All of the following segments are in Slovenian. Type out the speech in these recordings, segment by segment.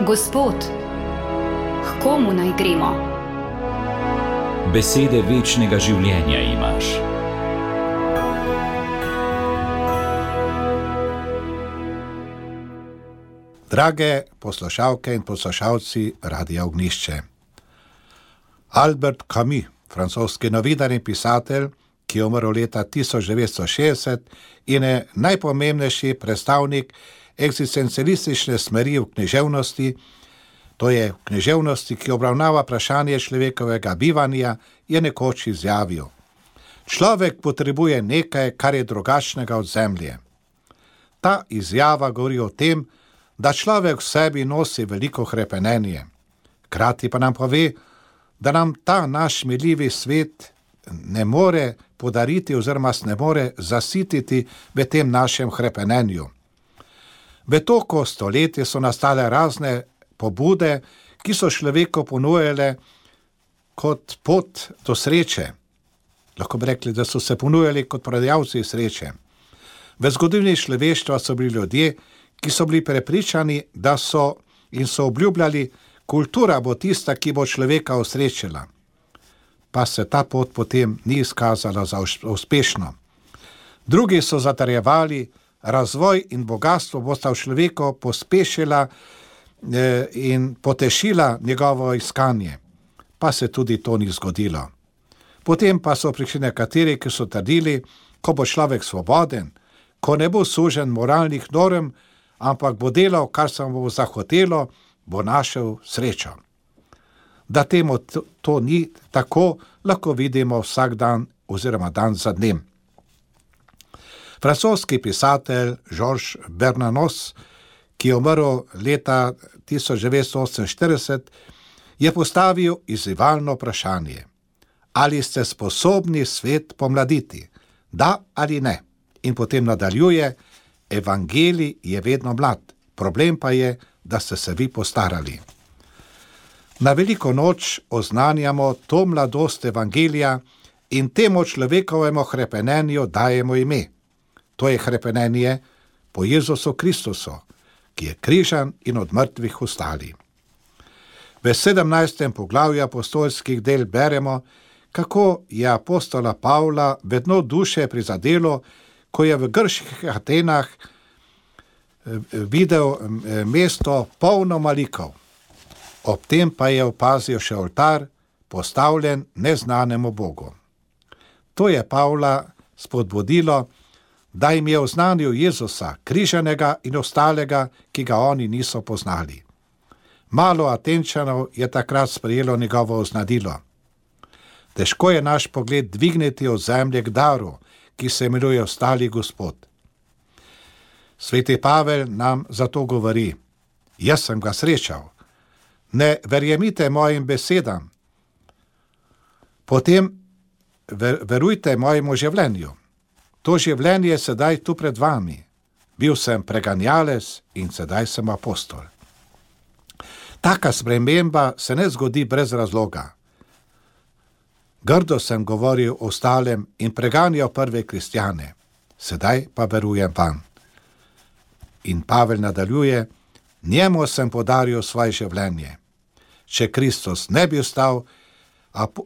Gospod, k komu naj gremo? Besede večnega življenja imaš. Drage poslušalke in poslušalci Radia Ognjišče. Albert Camus, francoski novinar in pisatelj, ki je umrl leta 1960 in je najpomembnejši predstavnik eksistencialistične smeri v književnosti, to je v književnosti, ki obravnava vprašanje človekovega bivanja, je nekoč izjavil: človek potrebuje nekaj, kar je drugačnega od zemlje. Ta izjava govori o tem, da človek v sebi nosi veliko hrepenenje. Hkrati pa nam pove, da nam ta naš miljivi svet ne more podariti oziroma se ne more zasititi v tem našem hrepenenju. V toku stoletja so nastale razne pobude, ki so človeku ponujale kot pot do sreče. Lahko bi rekli, da so se ponujali kot prodajalci sreče. V zgodovini človeštva so bili ljudje, ki so bili prepričani, da so in so obljubljali, kultura bo tista, ki bo človeka osrečila. Pa se ta pot potem ni izkazala za uspešno. Drugi so zatrjevali, razvoj in bogatstvo bosta v človeku pospešila in potešila njegovo iskanje. Pa se tudi to ni zgodilo. Potem pa so prišli nekateri, ki so trdili, ko bo človek svoboden, ko ne bo sužen moralnih norm, ampak bo delal, kar se mu bo zahotelo, bo našel srečo. Da temu to ni tako, lahko vidimo vsak dan oziroma dan za dnem. Francoski pisatelj Georges Bernanos, ki je umrl leta 1948, je postavil izzivalno vprašanje: ali ste sposobni svet pomladiti? Da ali ne? In potem nadaljuje: evangelij je vedno mlad, problem pa je, da ste se vi postarali. Na veliko noč oznanjamo to mladost evangelija in temu človekovemu hrepenenju dajemo ime. To je hrepenenje po Jezusu Kristusu, ki je križan in od mrtvih vstali. V 17. poglavju apostolskih del beremo, kako je apostola Pavla vedno duše prizadelo, ko je v grških Atenah videl mesto polno malikov. Ob tem pa je opazil še oltar, postavljen neznanemu Bogu. To je Pavla spodbudilo, da jim je oznanil Jezusa, križanega in ostalega, ki ga oni niso poznali. Malo Atenčanov je takrat sprejelo njegovo oznanilo. Težko je naš pogled dvigniti od zemlje k daru, ki se imenuje ostali Gospod. Sveti Pavel nam zato govori: jaz sem ga srečal. Ne verjemite mojim besedam, potem verujte mojemu življenju. To življenje je sedaj tu pred vami. Bil sem preganjalec in sedaj sem apostol. Taka sprememba se ne zgodi brez razloga. Grdo sem govoril o ostalem in preganjal prve kristjane, sedaj pa verujem vam. In Pavel nadaljuje: njemu sem podaril svoje življenje. Če Kristus ne bi ostal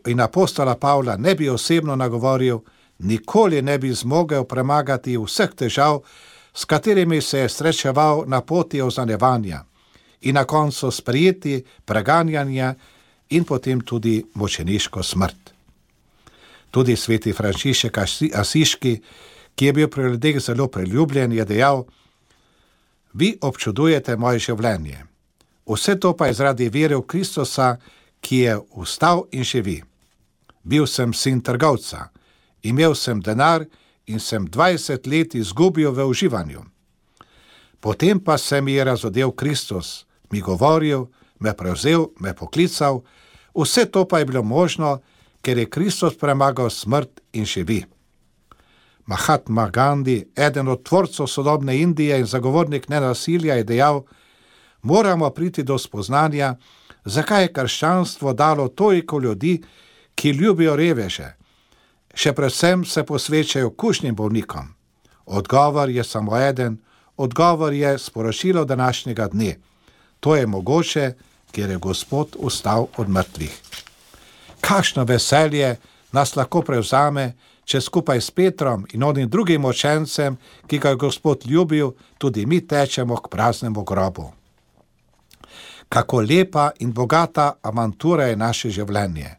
in apostola Pavla ne bi osebno nagovoril, nikoli ne bi zmogel premagati vseh težav, s katerimi se je srečeval na poti oznanjevanja in na koncu sprejeti preganjanja in potem tudi mučeniško smrt. Tudi sveti Frančišek Asiški, ki je bil pri ljudeh zelo priljubljen, je dejal: vi občudujete moje življenje. Vse to pa je zaradi vere v Kristusa, ki je vstal in živi. Bil sem sin trgovca, imel sem denar in sem 20 let izgubil v uživanju. Potem pa se mi je razodel Kristus, mi govoril, me prevzel, me poklical, vse to pa je bilo možno, ker je Kristus premagal smrt in živi. Mahatma Gandhi, eden od tvorcev sodobne Indije in zagovornik nenasilja, je dejal: moramo priti do spoznanja, zakaj je krščanstvo dalo toliko ljudi, ki ljubijo reveže. Še predvsem se posvečajo kužnim bolnikom. Odgovor je samo eden, odgovor je sporočilo današnjega dne. To je mogoče, ker je Gospod vstal od mrtvih. Kakšno veselje nas lahko prevzame, če skupaj s Petrom in onim drugim učencem, ki ga je Gospod ljubil, tudi mi tečemo k praznemu grobu. Kako lepa in bogata avantura je naše življenje.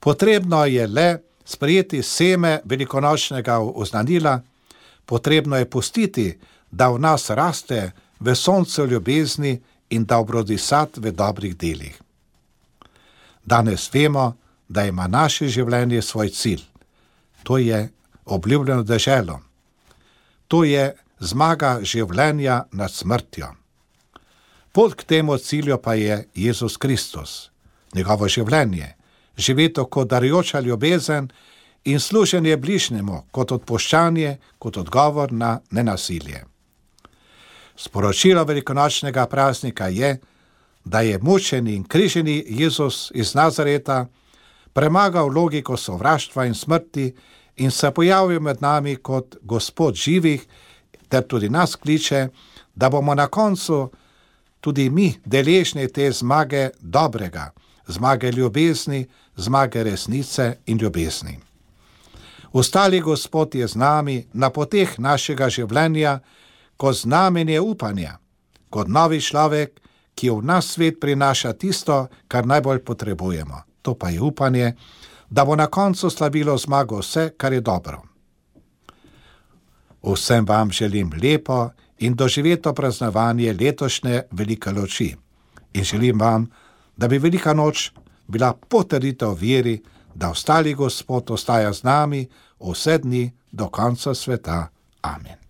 Potrebno je le sprejeti seme velikonočnega oznanila, potrebno je pustiti, da v nas raste v soncu ljubezni in da obrodi sad v dobrih delih. Danes vemo, da ima naše življenje svoj cilj. To je obljubljeno deželo. To je zmaga življenja nad smrtjo. Pot k temu cilju pa je Jezus Kristus, njegovo življenje, živeti kot darujoča ljubezen in služenje bližnjemu kot odpuščanje, kot odgovor na nenasilje. Sporočilo velikonočnega praznika je, da je mučeni in križeni Jezus iz Nazareta premagal logiko sovraštva in smrti in se pojavil med nami kot Gospod živih, ter tudi nas kliče, da bomo na koncu tudi mi deležni te zmage dobrega, zmage ljubezni, zmage resnice in ljubezni. Ostali Gospod je z nami na poteh našega življenja kot znamenje upanja, kot novi človek, ki v nas svet prinaša tisto, kar najbolj potrebujemo. To pa je upanje, da bo na koncu slavilo zmago vse, kar je dobro. Vsem vam želim lepo in doživeto praznovanje letošnje velike noči. In želim vam, da bi velika noč bila potrditev veri, da ostali Gospod ostaja z nami vse dni do konca sveta. Amen.